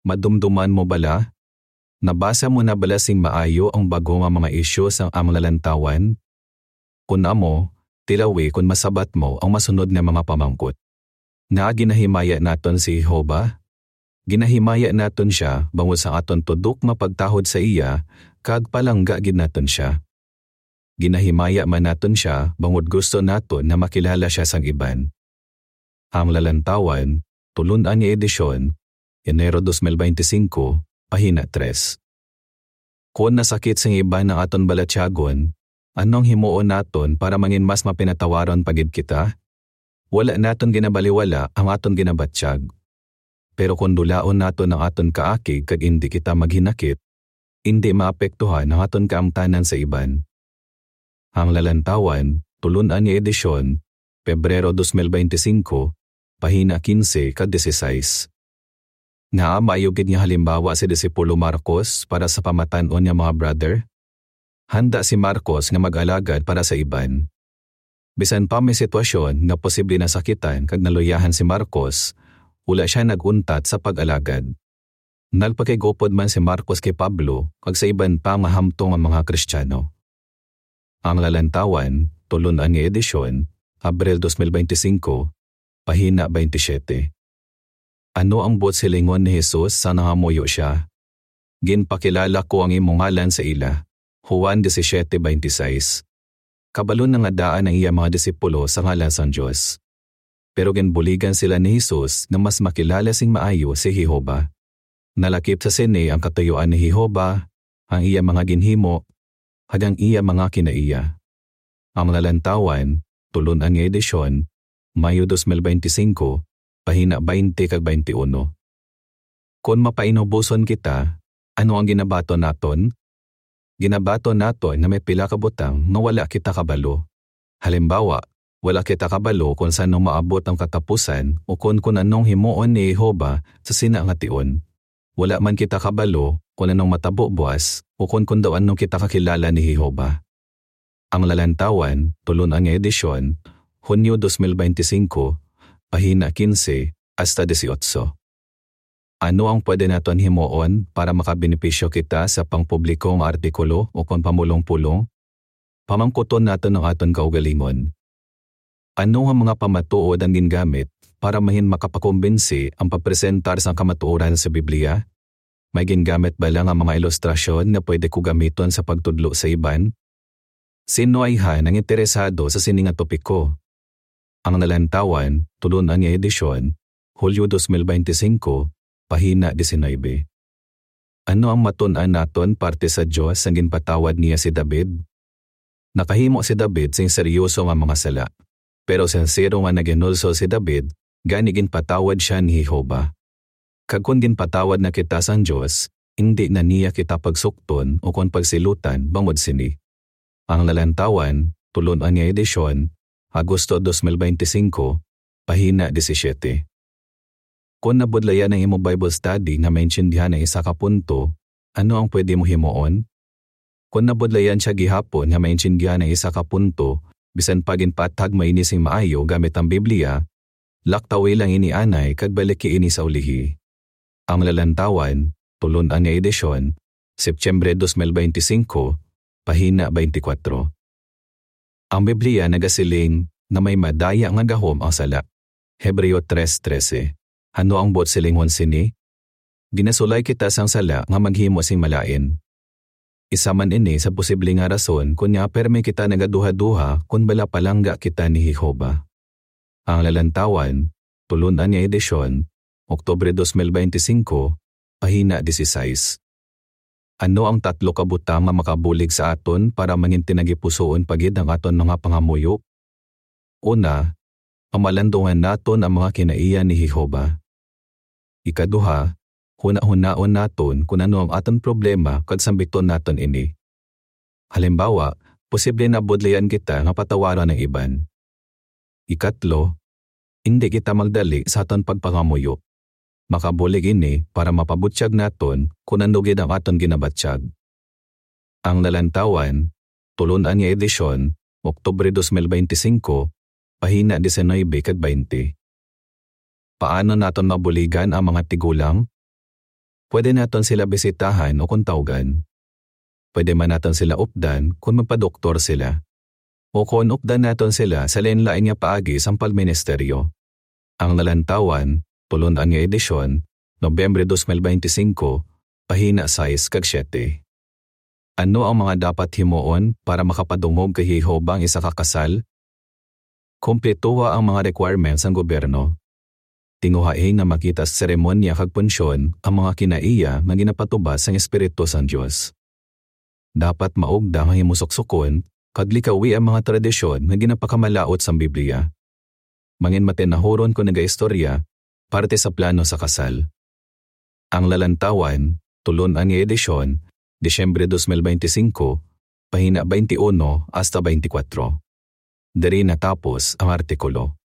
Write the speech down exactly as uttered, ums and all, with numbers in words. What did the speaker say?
Madumduman mo bala? Nabasa mo na bala sing maayo ang bag-o nga mga isyu sang Ang Lalantawan? Kon amo, tilawi kon masabat mo ang masunod nga mga pamangkot. Ngaa ginahimaya naton si Jehovah? Ginahimaya naton sia bangod sa aton tudok nga pagtahod sa iya kag palangga gid naton sia. Ginahimaya man naton sia bangod gusto naton nga makilala sia sang iban. Ang Lalantawan, tulon-an nga edisyon, Enero dos mil beintisinco, pahina tres. Kon nasakit sang iban ang aton balatyagon, ano ang himuon naton para mangin mas mapinatawaron pa gid kita? Wala naton ginabaliwala ang aton ginabatyag. Pero kon dulaon naton ang aton kaakig kag indi kita maghinakit, indi maapektuhan ang aton kaangtanan sa iban. Ang Lalantawan, tulon-an nga edisyon, Pebrero dos mil beintisinco, pahina quince kag dieciséis. Ngaa maayo gid nga halimbawa si disipulo Marcos para sa pamatan-on nga mga brother? Handa si Marcos nga mag-alagad para sa iban. Bisan pa may sitwasyon nga posible nasakitan kag naluyahan si Marcos, wala sia nag-untat sa pag-alagad. Nagpakigupod man si Marcos kay Pablo kag sa iban pa nga hamtong nga mga Kristiyano. Ang Lalantawan, tulon-an nga edisyon, Abril dos mil beintisinco, pahina veintisiete. Ano ang buot silingon ni Jesus sa nangamuyo sia? "Ginpakilala ko ang imo ngalan sa ila." Juan disisiete veintiseis. Kabalo na nga daan ang iya mga disipulo sa ngalan sang Dios. Pero ginbuligan sila ni Jesus nga mas makilala sing maayo si Jehovah. Nalakip sa sini ang katuyuan ni Jehovah, ang iya mga ginhimo, kag ang iya mga kinaiya. Ang Lalantawan, tulon-an nga edisyon, Mayo dos mil beintisinco, pahina veinte kag veintiuno. Kon mapainuboson kita, ano ang ginabaton naton? Ginabaton naton nga may pila ka butang nga wala kita kabalo. Halimbawa, wala kita kabalo kon san-o maabot ang katapusan ukon kon anong himuon ni Jehovah sa sina nga tion. Wala man kita kabalo kon anong matabo buas ukon kon daw ano kita kakilala ni Jehovah. Ang Lalantawan, tulon-an nga edisyon, Hunyo dos mil beintisinco, pahina quince hasta dieciocho. Ano ang pwede naton himuon para makabenepisyo kita sa pangpubliko nga artikulo ukon pamulong-pulong? Pamangkuton naton ang aton kaugalingon. Ano nga mga pamatuod ang gingamit para mahin makapakumbinsi ang pagpresentar sang kamatuoran sa Biblia? May gingamit bala nga mga ilustrasyon nga pwede ko gamiton sa pagtudlo sa iban? Sino ayhan ang interesado sa sini nga topiko? Ang Lalantawan, tulon-an nga edisyon, Hulyo dos mil beintisinco, pahina diecinuebe. Ano ang matun-an naton parte sa Dios sang ginpatawad niya si David? Nakahimo si David sing seryoso nga mga sala, pero sinsero nga naghinulsol si David, gani ginpatawad sia ni Jehovah. Kag kon ginpatawad na kita sang Dios, indi na niya kita pagsukton ukon pagsilutan bangod sini. Ang Lalantawan, tulon-an nga edisyon, Agosto dos mil beintisinco, pahina disisiete. Kon nabudlayan ang imo Bible study nga maintindihan ang isa ka punto, ano ang pwede mo himuon? Kon nabudlayan sia gihapon nga maintindihan ang isa ka punto, bisan pa ginpaathag mo ini sing maayo gamit ang Biblia, laktawi lang ini anay kag baliki ini sa ulihi. Ang Lalantawan, tulon-an nga edisyon, Septyembre dos mil beintisinco, pahina beintikwatro. Ang Biblia nagasiling nga may madaya nga gahom ang sala. Hebreo tres trese. Ano ang buot silingon sini? Ginasulay kita sang sala nga maghimo sing malain. Isa man ini sa posible nga rason kon ngaa pirme kita nagaduhaduha kon bala palangga kita ni Jehovah. Ang Lalantawan, tulon-an nga edisyon, Oktubre dos mil beintisinco, pahina dieciséis. Ano ang tatlo ka butang nga makabulig sa aton para mangin tinagipusoon pa gid ang aton mga pangamuyo? Una, pamalandungan naton ang mga kinaiya ni Jehovah. Ikaduha, hunahunaon naton kon ano ang aton problema kag sambiton naton ini. Halimbawa, posible nabudlayan kita nga patawaron ang iban. Ikatlo, indi kita magdali sa aton pagpangamuyo. Makabulig ini para mapabutyag naton kon ano gid ang aton ginabatyag. Ang Lalantawan, tulon-an nga edisyon, Oktubre dos mil beintisinco, pahina diecinuebe kag baynte. Paano naton mabuligan ang mga tigulang? Pwede naton sila bisitahan o kon tawgan. Pwede man naton sila updan kon magpadoktor sila. O kon updan naton sila sa lain-lain nga paagi sang pagministeryo. Ang Lalantawan, tulon-an nga edisyon, Nobyembre dos mil beintisinko, pahina sais kag siete. Ano ang mga dapat himuon para makapadungog kay Jehovah ang isa ka kasal? Kumplituha ang mga requirements sang gobyerno. Tinguhai nga makita sa seremonya kag punsyon ang mga kinaiya nga ginapatubas sang Espiritu sang Dios. Dapat maugda nga himusuksukon kag likawi ang mga tradisyon nga ginapakamalaut sang Biblia. Mangin matinahuron kon nagaistorya parte sa plano sa kasal. Ang Lalantawan, tulon-an nga edisyon, Disyembre dos mil beintisinko, pahina twenty-one hasta twenty-four. Diri natapos ang artikulo.